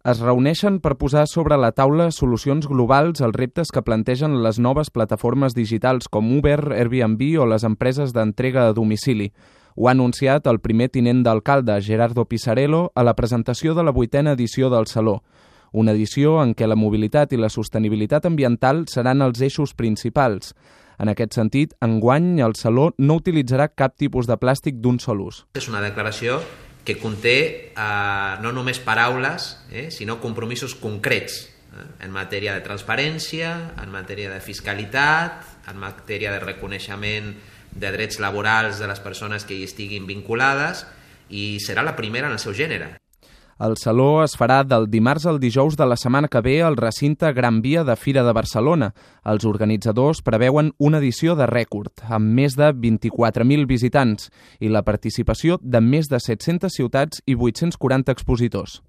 Es reuneixen per posar sobre la taula solucions globals als reptes que plantegen les noves plataformes digitals com Uber, Airbnb o les empreses d'entrega a domicili. Ho ha anunciat el primer tinent d'alcalde, Gerardo Pisarello, a la presentació de la 8a edició del Saló. Una edició en què la mobilitat i la sostenibilitat ambiental seran els eixos principals. En aquest sentit, enguany el Saló no utilitzarà cap tipus de plàstic d'un sol ús. És una declaració que conté no només paraules, sinó compromisos concrets en matèria de transparència, en matèria de fiscalitat, en matèria de reconeixement de drets laborals de les persones que hi estiguin vinculades, i serà la primera en el seu gènere. El Saló es farà del dimarts al dijous de la setmana que ve al recinte Gran Via de Fira de Barcelona. Els organitzadors preveuen una edició de rècord, amb més de 24.000 visitants i la participació de més de 700 ciutats i 840 expositors.